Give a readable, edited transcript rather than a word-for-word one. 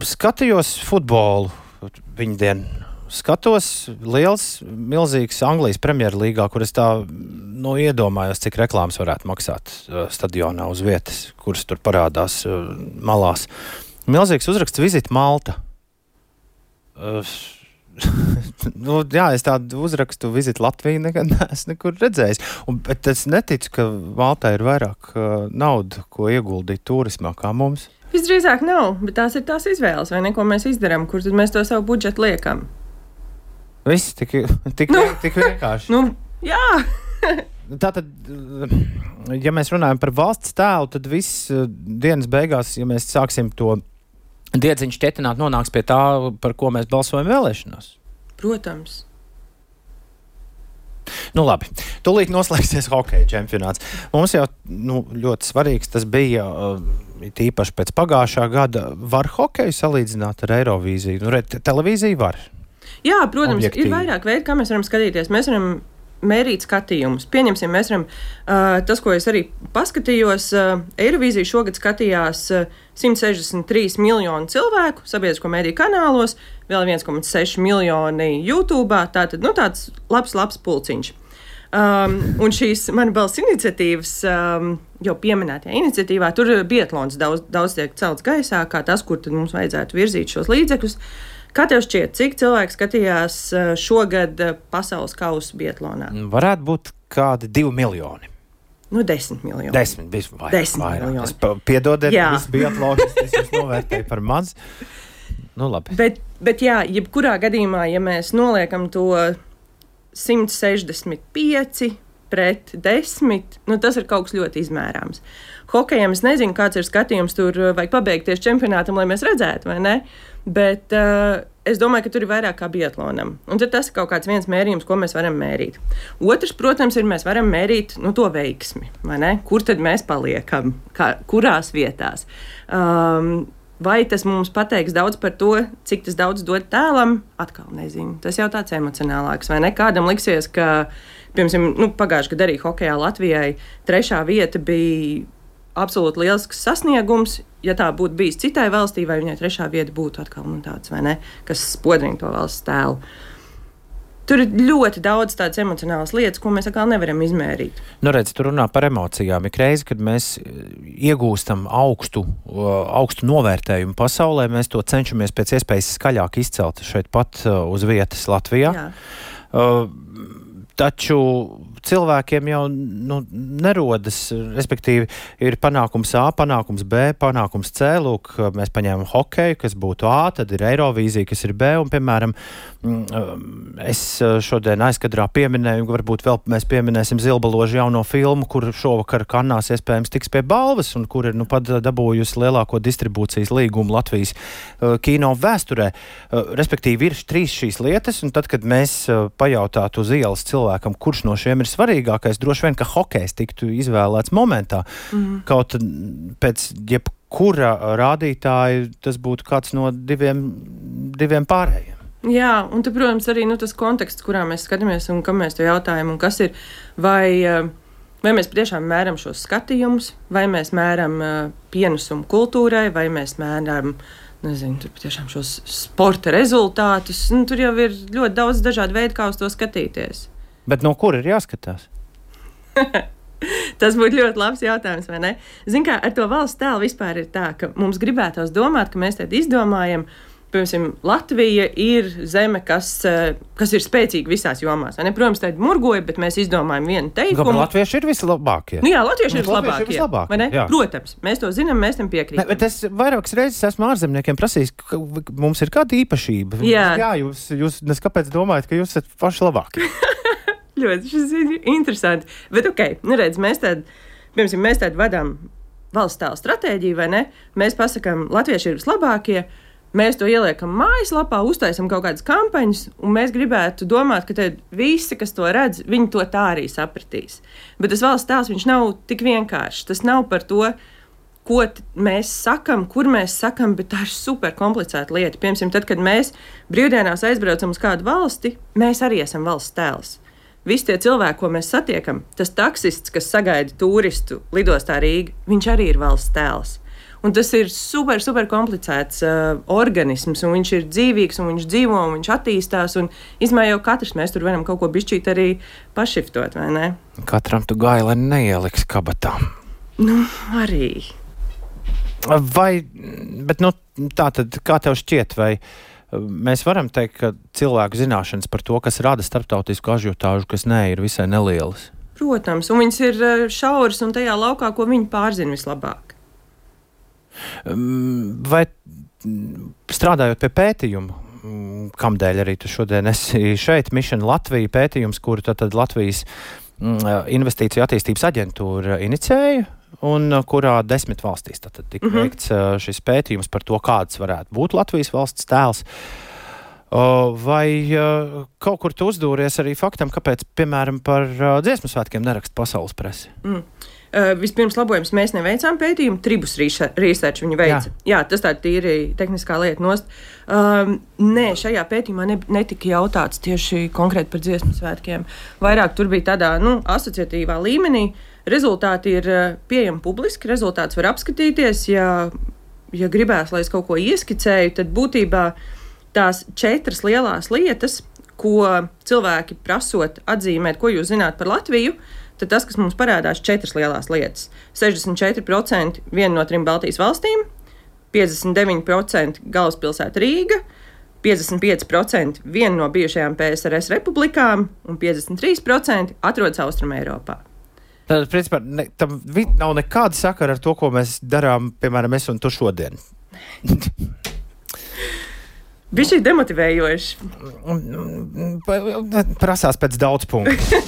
Skatījos futbolu viņa dienu. Skatos milzīgs Anglijas Premjerlīgā, kur es tā iedomājos, cik reklāmas varētu maksāt stadionā uz vietas, kuras tur parādās malās. Milzīgs uzraksts Visit Malta. Es tādu uzrakstu Visit Latviju nekad neesmu nekur redzējis. Bet es neticu, ka Maltā ir vairāk naudu, ko ieguldīt turismā kā mums. Visdrīzāk nav, bet tās ir tās izvēles, vai ne, ko mēs izdarām, kur tad mēs to savu budžetu liekam. Viss tik vienkārši. Jā. Tātad, ja mēs runājam par valsts tēlu, tad viss dienas beigās, ja mēs sāksim to diedziņu šķietināt, nonāks pie tā, par ko mēs balsojam vēlēšanās. Protams. Labi, tūlīt noslēgsies hokeja čempionāts. Mums jau ļoti svarīgs tas bija, tīpaši pēc pagājušā gada. Var hokeju salīdzināt ar Eirovīziju? Televīziju var. Jā, protams, objektīvi. Ir vairāk veidu, kā mēs varam skatīties. Mēs varam mērīt skatījumus. Pieņemsim, mēs varam, tas, ko es arī paskatījos, Eirovīziju šogad skatījās 163 miljoni cilvēku sabiedrisko mediju kanālos, vēl 1,6 miljoni YouTube, tātad, tāds labs pulciņš. Un šīs Mana balss iniciatīvas, jau pieminētajā iniciatīvā, tur biatlons daudz tiek celts gaisā, kā tas, kur tad mums vajadzētu virzīt šos līdzekļus. Kā tev šķiet, cik cilvēki skatījās šogad pasaules kausu biatlonā? Varētu būt kādi 2 miljoni. 10 miljoni. 10 miljoni. Piedodiet, viss biatlons, es jūs novērtēju par maz. Labi. Bet jā, jebkurā gadījumā, ja mēs noliekam to 165 pret 10, tas ir kaut kas ļoti izmērāms. Hokejam es nezinu, kāds ir skatījums, tur vajag pabeigties čempionātam, lai mēs redzētu, vai ne? Bet es domāju, ka tur ir vairāk kā biatlonam. Un tad tas ir kaut kāds viens mērījums, ko mēs varam mērīt. Otrs, protams, ir mēs varam mērīt to veiksmi, vai ne? Kur tad mēs paliekam, kurās vietās. Vai tas mums pateiks daudz par to, cik tas daudz dod tēlam? Atkal nezinu. Tas jau tāds emocionālāks, vai ne? Kādam liksies, ka, piemēram, pagājušajā gadā arī hokejā Latvijai 3. vieta bija absolūti lielisks sasniegums. Ja tā būtu bijis citai valstī, vai viņai 3. vieta būtu atkal tāds, vai ne, kas spodrina to valsts tēlu. Tur ir ļoti daudz tādas emocionālas lietas, ko mēs atkal nevaram izmērīt. Redz, tu runā par emocijām. Ik reizi, kad mēs iegūstam augstu novērtējumu pasaulē, mēs to cenšamies pēc iespējas skaļāk izcelt šeit pat uz vietas Latvijā. Taču cilvēkiem jau nerodas, respektīvi, ir panākums A, panākums B, panākums C. Lūk, mēs paņēmam hokeju, kas būtu A, tad ir Eirovīzija, kas ir B, un, piemēram, es šodien aizkadrā pieminēju, varbūt vēl mēs pieminēsim Zilbaložu jauno filmu, kur šovakar Kannās iespējams tiks pie balvas, un kur ir pat dabūjusi lielāko distribūcijas līgumu Latvijas kino vēsturē. Respektīvi, ir 3 šīs lietas, un tad, kad mēs pajautātu uz ielas cilvēkam, kurš no šiem ir svarīgākais, droši vien, ka hokejs tiktu izvēlēts momentā. Kaut pēc jebkura rādītāja tas būtu kāds no diviem pārējiem. Jā, un tad, protams, arī tas konteksts, kurā mēs skatāmies un kam mēs to jautājam, un kas ir, vai mēs patiešām mēram šos skatījumus, vai mēs mēram pienesumu kultūrai, vai mēs mēram, tur patiešām šos sporta rezultātus. Tur jau ir ļoti daudz dažādu veidu, kā uz to skatīties. Bet no kur ir jāskatās? Tas būtu ļoti labs jautājums, vai ne? Zini kā, ar to valsts tēlu vispār ir tā, ka mums gribētos domāt, ka mēs tad izdomājam, piemēram, Latvija ir zeme, kas ir spēcīga visās jomās. Protams, tā ir murgoja, bet mēs izdomājam vienu teikumu. Kāpēc latvieši ir vislabākie? Jā, latvieši ir vislabākie. Protams, mēs to zinām, mēs tam piekrītam. Bet es vairākas reizes esmu ārzemniekiem prasījis, ka mums ir kāda īpašība. Jā, jūs neskapēc domājat, ka jūs esat paši labākie. Ļoti, šis ir interesanti. Bet redz, mēs tad vadām valsts tēla stratēģiju, vai ne? Mēs pasakām, latvieši ir vislabākie. Mēs to ieliekam mājaslapā, uztaisam kaut kādas kampaņas, un mēs gribētu domāt, ka visi, kas to redz, viņi to tā arī sapratīs. Bet tas valsts tēls, viņš nav tik vienkāršs. Tas nav par to, ko mēs sakam, kur mēs sakam, bet tā ir super komplicēta lieta. Piemēram, tad, kad mēs brīvdienās aizbraucam uz kādu valsti, mēs arī esam valsts tēls. Visi tie cilvēki, ko mēs satiekam, tas taksists, kas sagaida turistu lidostā Rīga, viņš arī ir valsts tēls. Un tas ir super komplicēts organisms, un viņš ir dzīvīgs, un viņš dzīvo, un viņš attīstās. Īsumā jau katrs mēs tur varam kaut ko bišķīt arī pašiftot, vai ne? Katram tu gaileni neieliks kabatā. Nu, arī. Bet tā tad, kā tev šķiet, vai mēs varam teikt, ka cilvēku zināšanas par to, kas rada starptautisku ažiotāžu, kas ir visai nelielas? Protams, un viņas ir šauras un tajā laukā, ko viņi pārzina vislabāk. Vai strādājot pie pētījuma, kamdēļ arī tu šodien esi šeit, Mission Latvija pētījums, kuru tad Latvijas investīciju attīstības aģentūra inicēja, un kurā 10 valstīs tika veikts šis pētījums par to, kāds varētu būt Latvijas valsts tēls. Vai kaut kur tu uzdūries arī faktam, kāpēc, piemēram, par dziesmu svētkiem neraksta pasaules presi? Vispirms labojums, mēs neveicām pētījumu, Tribus Research viņi veica. Jā, tas tā tīri tehniskā lieta nost. Nē, šajā pētījumā netika jautāts tieši konkrēti par dziesmu svētkiem. Vairāk tur bija tādā, asociatīvā līmenī. Rezultāti ir pieejami publiski, rezultāts var apskatīties. Ja gribēs, lai es kaut ko ieskicēju, tad būtībā tās 4 lielās lietas, ko cilvēki prasot atzīmēt, ko jūs zināt par Latviju, tad tas, kas mums parādās, 4 lielās lietas. 64% viena no 3 Baltijas valstīm, 59% galvaspilsēta Rīga, 55% viena no bijušajām PSRS republikām un 53% atrodas Austrum Eiropā. Tad, principā, tam nav nekāda sakara ar to, ko mēs darām, piemēram, es un tu šodien. Bija šī demotivējoši. Prasās pēc daudz punktu.